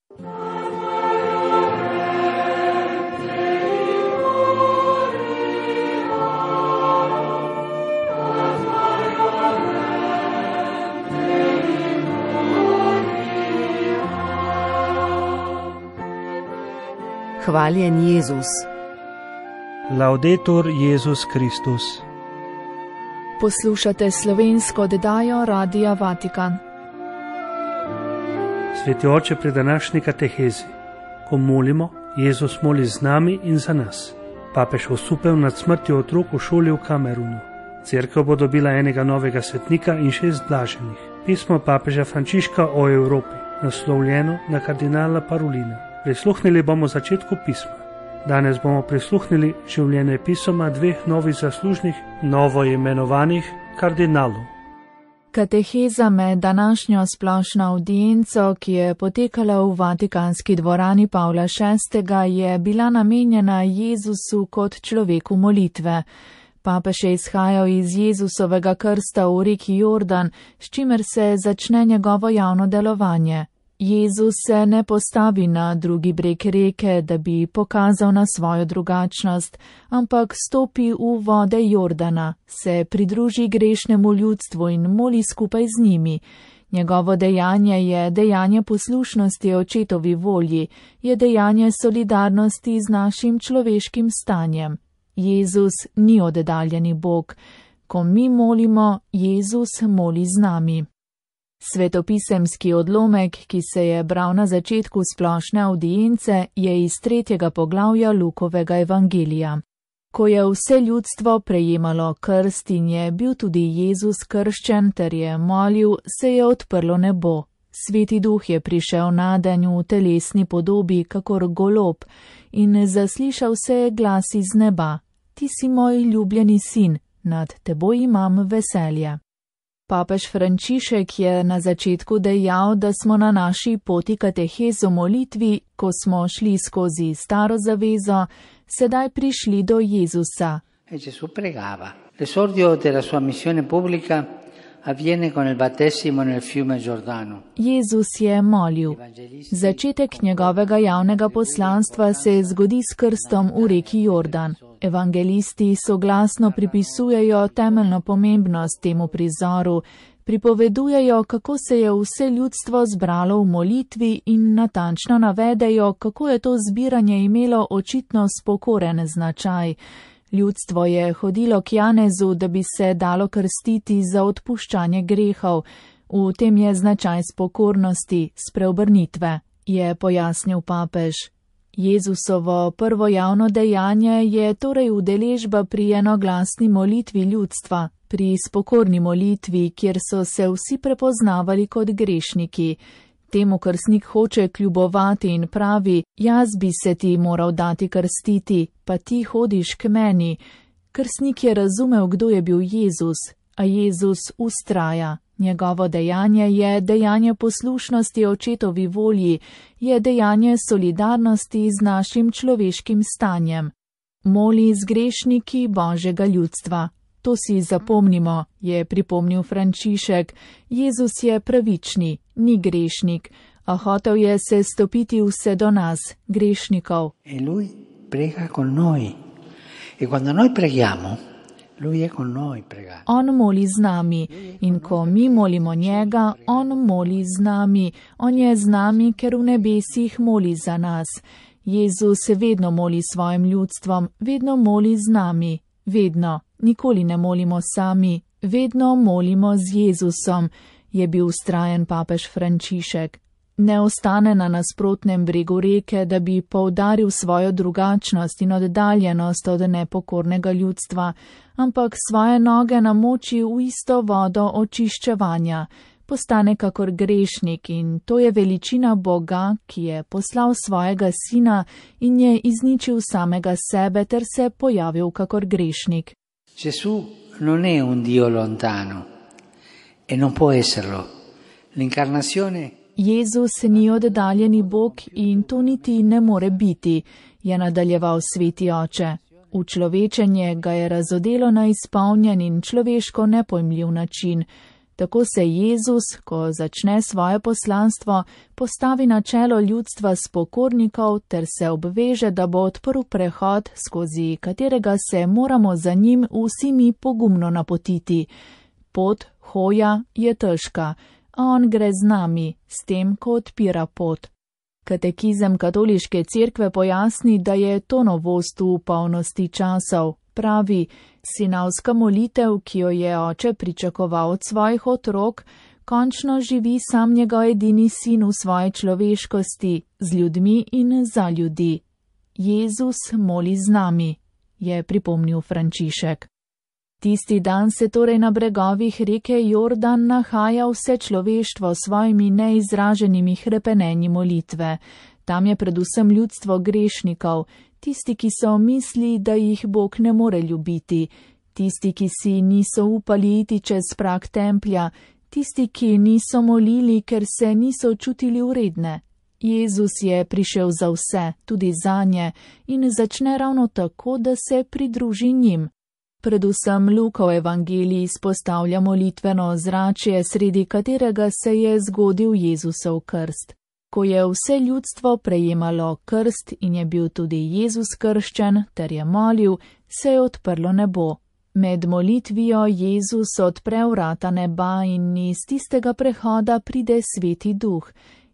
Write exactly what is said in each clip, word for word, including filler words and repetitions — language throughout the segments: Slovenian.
Hvaljen Jezus. Laudetur Jezus Kristus. Poslušate slovensko oddajo Radia Vatikan. Sveti oče, pri današnji katehezi, ko molimo, Jezus moli z nami in za nas. Papež osupel nad smrtjo otrok v šoli v Kamerunu. Cerkev bo dobila enega novega svetnika in šest blaženih. Pismo papeža Frančiška o Evropi, naslovljeno na kardinala Parolina. Prisluhnili bomo začetku pisma. Danes bomo prisluhnili življenjepisoma dveh novih zaslužnih, novo imenovanih kardinalov. Kateheza med današnjo splošno avdienco, ki je potekala v Vatikanski dvorani Pavla šestega, je bila namenjena Jezusu kot človeku molitve. Papež je izhajal iz Jezusovega krsta v reki Jordan, s čimer se začne njegovo javno delovanje. Jezus se ne postavi na drugi breg reke, da bi pokazal na svojo drugačnost, ampak stopi v vode Jordana, se pridruži grešnemu ljudstvu in moli skupaj z njimi. Njegovo dejanje je dejanje poslušnosti očetovi volji, je dejanje solidarnosti z našim človeškim stanjem. Jezus ni oddaljeni Bog. Ko mi molimo, Jezus moli z nami. Svetopisemski odlomek, ki se je bral na začetku splošne avdience, je iz tretjega poglavja Lukovega evangelija. Ko je vse ljudstvo prejemalo krst in je bil tudi Jezus krščen ter je molil, se je odprlo nebo. Sveti duh je prišel nadanj v telesni podobi, kakor golob, in zaslišal se je glas iz neba: Ti si moj ljubljeni sin, nad teboj imam veselje. Papež Frančišek je na začetku dejal, da smo na naši poti katehez o molitvi, ko smo šli skozi staro zavezo, sedaj prišli do Jezusa. E Gesù pregava. L'esordio della sua missione pubblica avviene con il battesimo nel fiume Giordano. Jezus je molil. Začetek njegovega javnega poslanstva se zgodi s krstom v reki Jordan. Evangelisti soglasno pripisujejo temeljno pomembnost temu prizoru, pripovedujejo, kako se je vse ljudstvo zbralo v molitvi in natančno navedejo, kako je to zbiranje imelo očitno spokoren značaj. Ljudstvo je hodilo k Janezu, da bi se dalo krstiti za odpuščanje grehov. V tem je značaj spokornosti, spreobrnitve, je pojasnil papež. Jezusovo prvo javno dejanje je torej udeležba pri enoglasni molitvi ljudstva, pri spokorni molitvi, kjer so se vsi prepoznavali kot grešniki. Temu krstnik hoče kljubovati in pravi: jaz bi se ti moral dati krstiti, pa ti hodiš k meni. Krstnik je razumel, kdo je bil Jezus, a Jezus ustraja. Njegovo dejanje je dejanje poslušnosti očetovi volji, je dejanje solidarnosti z našim človeškim stanjem. Moli z grešniki Božjega ljudstva. To si zapomnimo, je pripomnil Frančišek. Jezus je pravični, ni grešnik, a hotel je se stopiti vse do nas, grešnikov. E lui prega con noi. E quando noi preghiamo, lui è con noi pregare. On moli z nami in ko mi molimo njega, on moli z nami. On je z nami, ker v nebesih moli za nas. Jezus vedno moli svojim ljudstvom, vedno moli z nami, vedno. Nikoli ne molimo sami, vedno molimo z Jezusom, je bil vztrajen papež Frančišek. Ne ostane na nasprotnem bregu reke, da bi poudaril svojo drugačnost in oddaljenost od nepokornega ljudstva, ampak svoje noge namoči v isto vodo očiščevanja, postane kakor grešnik in to je veličina Boga, ki je poslal svojega sina in je izničil samega sebe ter se pojavil kakor grešnik. Gesù non è un Dio lontano e non può esserlo. L'incarnazione Jezus ni oddaljeni Bog in to niti ne more biti, je nadaljeval sveti oče. Učlovečenje ga je razodelo na izpolnjen in človeško nepojmljiv način. Tako se Jezus, ko začne svoje poslanstvo, postavi na čelo ljudstva spokornikov ter se obveže, da bo odprl prehod, skozi katerega se moramo za njim vsi mi pogumno napotiti. Pot, hoja, je težka, a on gre z nami, s tem, ko odpira pot. Katekizem katoliške cerkve pojasni, da je to novost v polnosti časov. Pravi, sinavska molitev, ki jo je oče pričakoval od svojih otrok, končno živi sam njegov edini sin v svoji človeškosti, z ljudmi in za ljudi. Jezus moli z nami, je pripomnil Frančišek. Tisti dan se torej na bregovih reke Jordan nahaja vse človeštvo s svojimi neizraženimi hrepenenji molitve. Tam je predvsem ljudstvo grešnikov, tisti, ki so misli, da jih Bog ne more ljubiti, tisti, ki si niso upali iti čez prag templja, tisti, ki niso molili, ker se niso čutili vredne. Jezus je prišel za vse, tudi zanje, in začne ravno tako, da se pridruži njim. Predvsem Lukov evangelij izpostavlja molitveno ozračje, sredi katerega se je zgodil Jezusov krst. Ko je vse ljudstvo prejemalo krst in je bil tudi Jezus krščen ter je molil, se je odprlo nebo. Med molitvijo Jezus odpre vrata neba in iz tistega prehoda pride Sveti Duh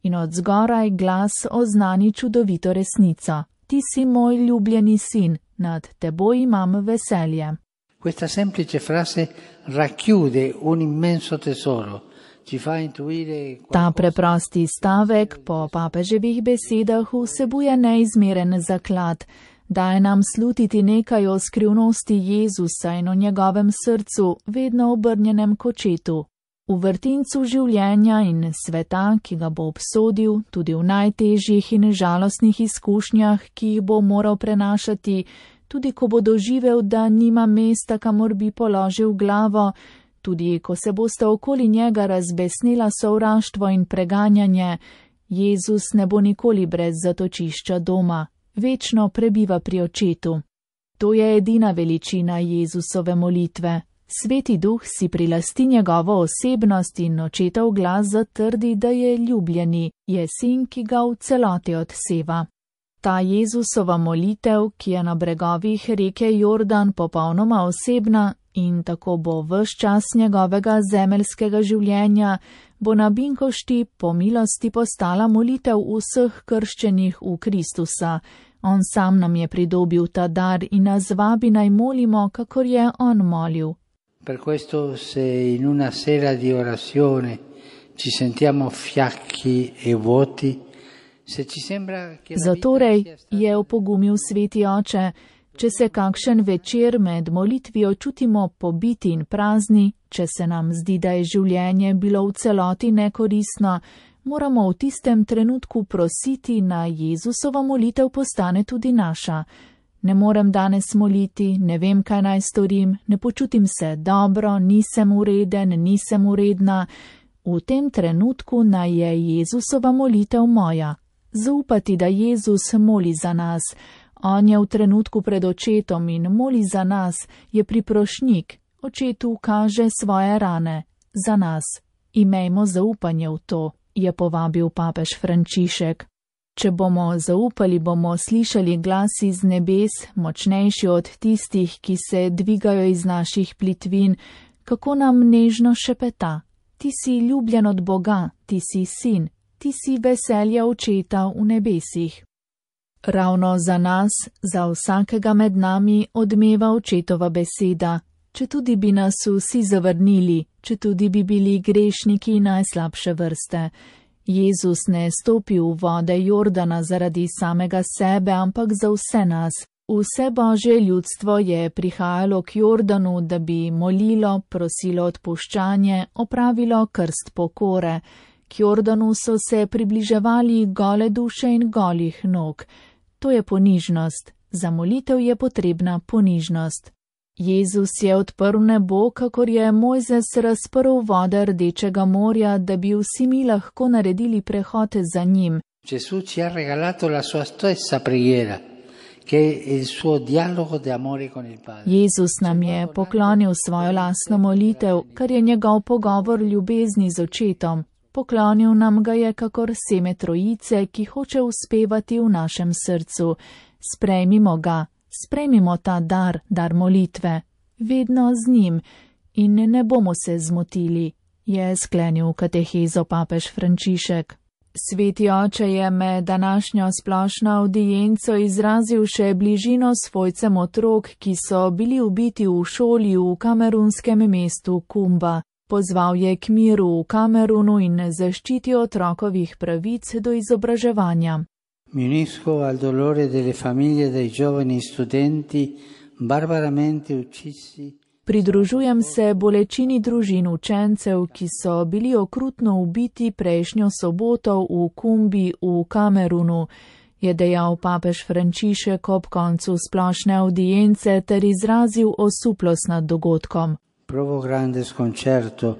in od zgoraj glas oznani čudovito resnico. Ti si moj ljubljeni sin, nad teboj imam veselje. Questa semplice frase racchiude un immenso tesoro. Ta preprosti stavek po papeževih besedah vsebuje neizmeren zaklad, daje nam slutiti nekaj o skrivnosti Jezusa in o njegovem srcu, vedno obrnjenem k očetu. V vrtincu življenja in sveta, ki ga bo obsodil, tudi v najtežjih in žalostnih izkušnjah, ki jih bo moral prenašati, tudi ko bo doživel, da nima mesta, kamor bi položil glavo, tudi ko se boste okoli njega razbesnila sovraštvo in preganjanje, Jezus ne bo nikoli brez zatočišča doma, večno prebiva pri očetu. To je edina veličina Jezusove molitve. Sveti Duh si prilasti njegovo osebnost in očetov glas zatrdi, da je ljubljeni, je sin, ki ga v celoti odseva. Ta Jezusova molitev, ki je na bregovih reke Jordan popolnoma osebna in tako bo ves čas njegovega zemeljskega življenja, bo na Binkošti po milosti postala molitev vseh krščenih v Kristusa. On sam nam je pridobil ta dar in nas vabi naj molimo, kakor je on molil. Per questo se in una sera di orazione ci sentiamo fiacchi e vuoti, se ci sembra che la Zatorej je opogumil Sveti Oče, če se kakšen večer med molitvijo čutimo pobiti in prazni, če se nam zdi, da je življenje bilo v celoti nekoristno, moramo v tistem trenutku prositi, naj Jezusova molitev postane tudi naša. Ne morem danes moliti, ne vem, kaj naj storim, ne počutim se dobro, nisem ureden, nisem uredna. V tem trenutku naj je Jezusova molitev moja. Zaupati, da Jezus moli za nas. On je v trenutku pred očetom in moli za nas, je priprošnik. Očetu kaže svoje rane. Za nas. Imejmo zaupanje v to, je povabil papež Frančišek. Če bomo zaupali, bomo slišali glas iz nebes, močnejši od tistih, ki se dvigajo iz naših plitvin, kako nam nežno šepeta. Ti si ljubljen od Boga, ti si sin, ti si veselja očeta v nebesih. Ravno za nas, za vsakega med nami odmeva očetova beseda, če tudi bi nas vsi zavrnili, če tudi bi bili grešniki najslabše vrste. Jezus ne stopi v vode Jordana zaradi samega sebe, ampak za vse nas. Vse Božje ljudstvo je prihajalo k Jordanu, da bi molilo, prosilo odpuščanje, opravilo krst pokore. K Jordanu so se približevali gole duše in golih nog. To je ponižnost. Za molitev je potrebna ponižnost. Jezus je odprl nebo, kakor je Mojzes razprl vode Rdečega morja, da bi vsi mi lahko naredili prehod za njim. Gesù ci ha regalato la sua stessa preghiera, Jezus nam je poklonil svojo lastno molitev, kar je njegov pogovor ljubezni z očetom. Poklonil nam ga je kakor seme trojice, ki hoče uspevati v našem srcu. Sprejmimo ga, sprejmimo ta dar, dar molitve, vedno z njim in ne bomo se zmotili, je sklenil katehezo papež Frančišek. Sveti oče je med današnjo splošno avdienco izrazil še bližino svojcem otrok, ki so bili ubiti v šoli v kamerunskem mestu Kumba. Pozval je k miru v Kamerunu in zaščiti otrokovih pravic do izobraževanja. Mi unisco al dolore delle famiglie dei giovani studenti barbaramente uccisi. Pridružujem se bolečini družin učencev, ki so bili okrutno ubiti prejšnjo soboto v Kumbi v Kamerunu, je dejal papež Frančišek ob koncu splošne avdience ter izrazil osuplost nad dogodkom. Provo grande sconcerto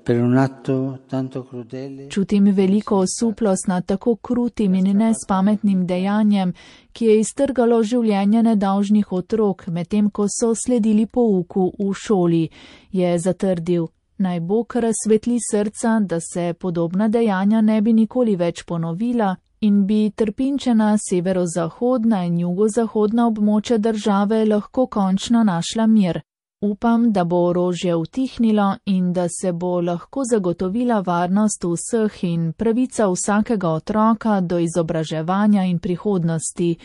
per un atto tanto crudele. Čutim veliko osuplost nad tako krutim in nespametnim dejanjem, ki je iztrgalo življenje nedolžnih otrok, medtem ko so sledili pouku v šoli, je zatrdil. Naj Bog razsvetli srca, da se podobna dejanja ne bi nikoli več ponovila in bi trpinčena severozahodna in jugozahodna območja države lahko končno našla mir. Upam, da bo orožje utihnilo in da se bo lahko zagotovila varnost vseh in pravica vsakega otroka do izobraževanja in prihodnosti,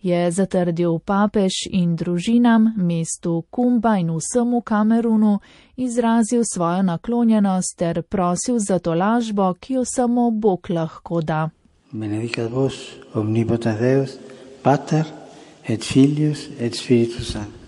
je zatrdil papež in družinam, mestu Kumba in vsemu Kamerunu izrazil svojo naklonjenost ter prosil za tolažbo, ki jo samo Bog lahko da. Benedicat vos omnipotens Deus, Pater et Filius et Spiritus Sanctus.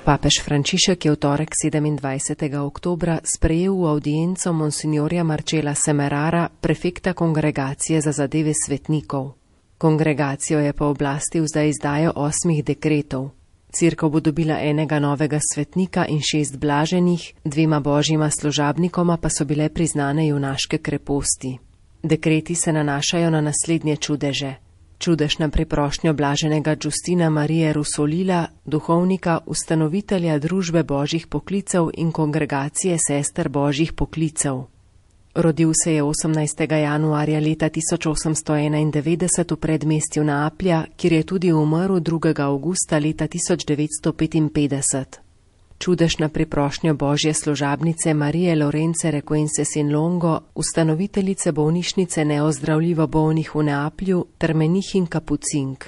Papež Frančišek je v torek sedemindvajsetega oktobra sprejel v avdienco monsignorja Marcela Semerara, prefekta kongregacije za zadeve svetnikov. Kongregacijo je pooblastil za izdajo osmih dekretov. Cerkev bo dobila enega novega svetnika in šest blaženih, dvema božjima služabnikoma pa so bile priznane junaške kreposti. Dekreti se nanašajo na naslednje čudeže. Čudež na priprošnjo blaženega Justina Marije Rusolila, duhovnika, ustanovitelja družbe božjih poklicev in kongregacije sester božjih poklicev. Rodil se je osemnajstega januarja leta tisoč osemsto enaindevetdeset v predmestju Neaplja, kjer je tudi umrl drugega avgusta leta tisoč devetsto petinpetdeset. Čudež na priprošnjo božje služabnice Marije Lorence Requences in Longo, ustanoviteljice bolnišnice neozdravljivo bolnih v Neaplju ter menihinj kapucink.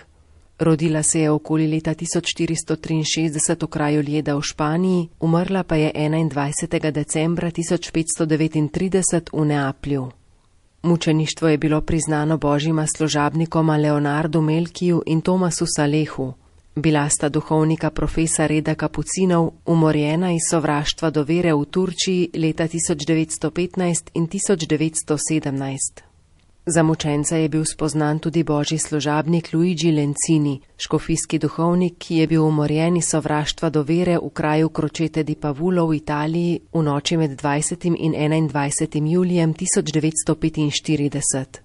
Rodila se je okoli leta tisoč štiristo triinšestdeset v kraju Ljeda v Španiji, umrla pa je enaindvajsetega decembra tisoč petsto devetintrideset v Neaplju. Mučeništvo je bilo priznano božjima služabnikoma Leonardu Melkiju in Tomasu Salehu. Bila sta duhovnika profesa reda kapucinov, umorjena iz sovraštva do vere v Turčiji leta tisoč devetsto petnajst in tisoč devetsto sedemnajst. Za mučenca je bil spoznan tudi božji služabnik Luigi Lencini, škofijski duhovnik, ki je bil umorjen iz sovraštva do vere v kraju Crocette di Pavullo v Italiji v noči med dvajsetim in enaindvajsetim julijem tisoč devetsto petinštirideset.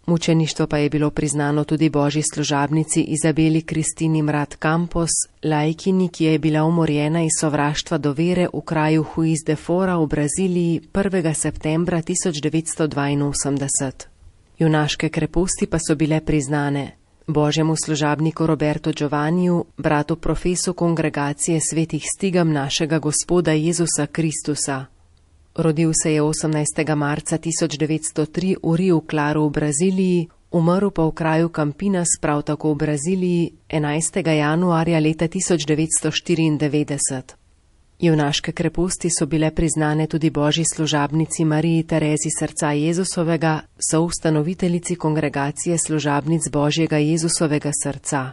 Mučeništvo pa je bilo priznano tudi božji služabnici Izabeli Kristini Mrat Campos, laikini, ki je bila umorjena iz sovraštva do vere v kraju Juiz de Fora v Braziliji prvega septembra tisoč devetsto dvainosemdeset. Junaške kreposti pa so bile priznane božjemu služabniku Roberto Giovanniju, bratu profesu kongregacije svetih stigam našega Gospoda Jezusa Kristusa. Rodil se je osemnajstega marca tisoč devetsto tri v Rio Claro v Braziliji, umrl pa v kraju Campinas, prav tako v Braziliji, enajstega januarja leta tisoč devetsto štiriindevetdeset. Junaške kreposti so bile priznane tudi božji služabnici Mariji Terezi srca Jezusovega, soustanoviteljici kongregacije služabnic Božjega Jezusovega srca.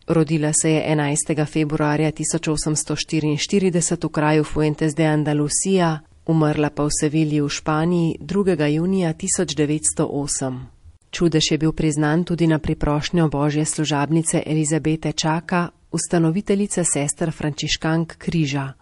Rodila se je enajstega februarja tisoč osemsto štiriinštirideset v kraju Fuentes de Andalucía, umrla pa v Sevilji v Španiji drugega junija tisoč devetsto osem. Čudež je bil priznan tudi na priprošnjo božje služabnice Elizabete Čaka, ustanoviteljice sester frančiškank Križa.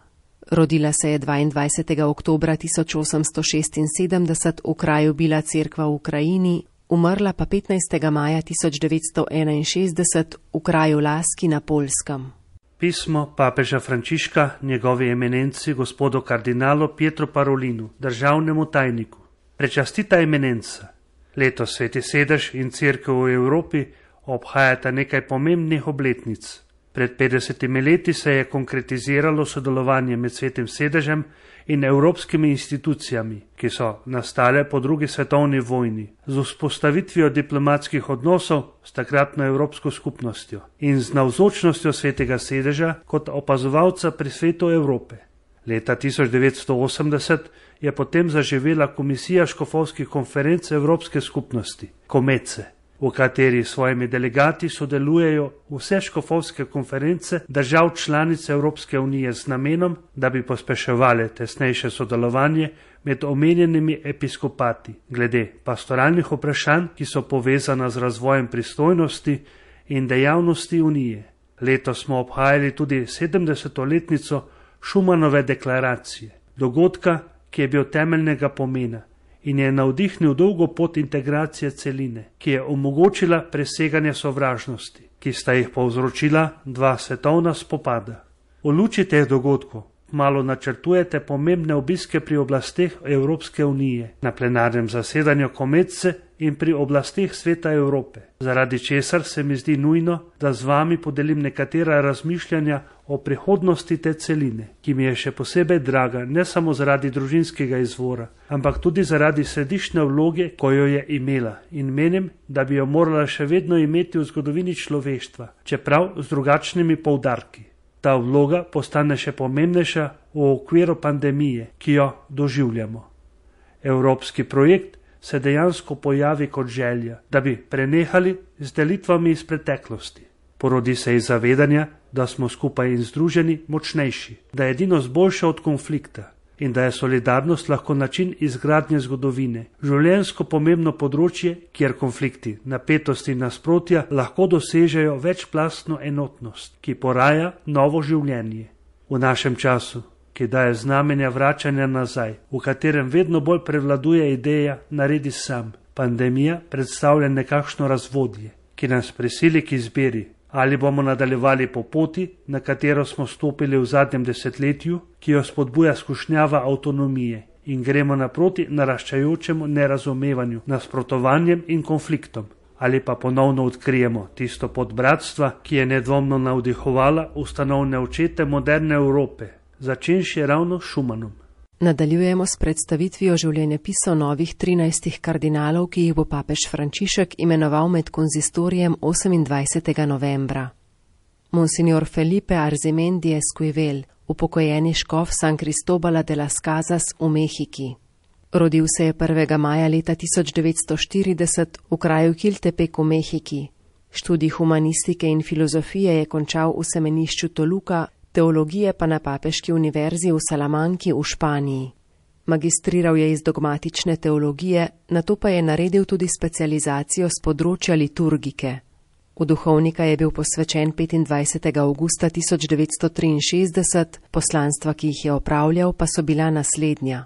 Rodila se je dvaindvajsetega oktobra tisoč osemsto šestinsedemdeset v kraju Bila Cerkva v Ukrajini, umrla pa petnajstega maja tisoč devetsto enainšestdeset v kraju Laski na Poljskem. Pismo papeža Frančiška njegovi eminenci gospodu kardinalu Pietru Parolinu, državnemu tajniku. Prečastita eminenca. Letos Sveti sedež in Cerkev v Evropi obhajata nekaj pomembnih obletnic. Pred petdesetimi leti se je konkretiziralo sodelovanje med Svetim sedežem in evropskimi institucijami, ki so nastale po drugi svetovni vojni, z vzpostavitvijo diplomatskih odnosov s takratno Evropsko skupnostjo in z navzočnostjo Svetega sedeža kot opazovalca pri svetu Evrope. Leta tisoč devetsto osemdeset je potem zaživela Komisija škofovskih konferenc Evropske skupnosti, Komece, v kateri svojimi delegati sodelujejo vse škofovske konference držav članic Evropske unije z namenom, da bi pospeševali tesnejše sodelovanje med omenjenimi episkopati glede pastoralnih vprašanj, ki so povezana z razvojem pristojnosti in dejavnosti unije. Letos smo obhajali tudi sedemdesetletnico Šumanove deklaracije, dogodka, ki je bil temeljnega pomena in je navdihnil dolgo pot integracije celine, ki je omogočila preseganje sovražnosti, ki sta jih povzročila dva svetovna spopada. V luči teh dogodkov malo načrtujete pomembne obiske pri oblasteh Evropske unije, na plenarnem zasedanju Komece in pri oblasteh Sveta Evrope, zaradi česar se mi zdi nujno, da z vami podelim nekatera razmišljanja o prihodnosti te celine, ki mi je še posebej draga ne samo zaradi družinskega izvora, ampak tudi zaradi središčne vloge, ko jo je imela, in menim, da bi jo morala še vedno imeti v zgodovini človeštva, čeprav z drugačnimi poudarki. Ta vloga postane še pomembnejša v okviru pandemije, ki jo doživljamo. Evropski projekt se dejansko pojavi kot želja, da bi prenehali z delitvami iz preteklosti. Porodi se iz zavedanja, da smo skupaj in združeni močnejši, da je edinost boljša od konflikta in da je solidarnost lahko način izgradnje zgodovine, življenjsko pomembno področje, kjer konflikti, napetosti in nasprotja lahko dosežejo večplastno enotnost, ki poraja novo življenje. V našem času, ki daje znamenja vračanja nazaj, v katerem vedno bolj prevladuje ideja naredi sam, pandemija predstavlja nekakšno razvodje, ki nas prisili k izbiri, ali bomo nadaljevali po poti, na katero smo stopili v zadnjem desetletju, ki jo spodbuja skušnjava avtonomije, in gremo naproti naraščajočemu nerazumevanju, nasprotovanjem in konfliktom, ali pa ponovno odkrijemo tisto pot bratstva, ki je nedvomno navdihovala ustanovne očete moderne Evrope, začenši ravno s Šumanom. Nadaljujemo s predstavitvijo življenjepisov novih trinajstih kardinalov, ki jih bo papež Frančišek imenoval med konzistorijem osemindvajsetega novembra. Monsignor Felipe Arzimendi Esquivel, upokojeni škof San Cristobala de las Casas v Mehiki. Rodil se je prvega maja leta tisoč devetsto štirideset v kraju Kiltepec v Mehiki. Študij humanistike in filozofije je končal v semenišču Toluca, teologije pa na Papeški univerzi v Salamanki v Španiji. Magistriral je iz dogmatične teologije, nato pa je naredil tudi specializacijo z področja liturgike. V duhovnika je bil posvečen petindvajsetega avgusta tisoč devetsto triinšestdeset, poslanstva, ki jih je opravljal, pa so bila naslednja.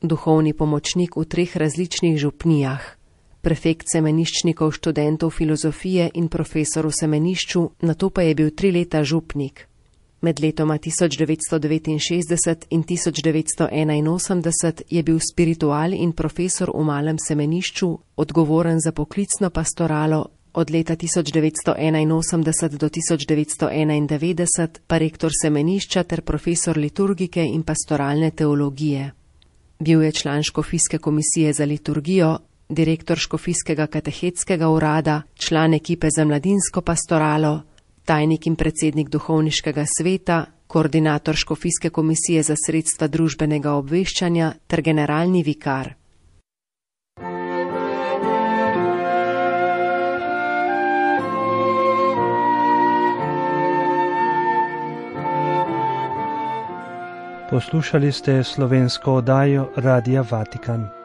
Duhovni pomočnik v treh različnih župnijah, prefekt semeniščnikov študentov filozofije in profesor v semenišču, nato pa je bil tri leta župnik. Med letoma tisoč devetsto devetinšestdeset in tisoč devetsto enainosemdeset je bil spiritual in profesor v malem semenišču, odgovoren za poklicno pastoralo, od leta tisoč devetsto enainosemdeset do tisoč devetsto enaindevetdeset pa rektor semenišča ter profesor liturgike in pastoralne teologije. Bil je član škofijske komisije za liturgijo, direktor škofijskega katehetskega urada, član ekipe za mladinsko pastoralo, tajnik in predsednik duhovniškega sveta, koordinator škofijske komisije za sredstva družbenega obveščanja ter generalni vikar. Poslušali ste slovensko oddajo Radia Vatikan.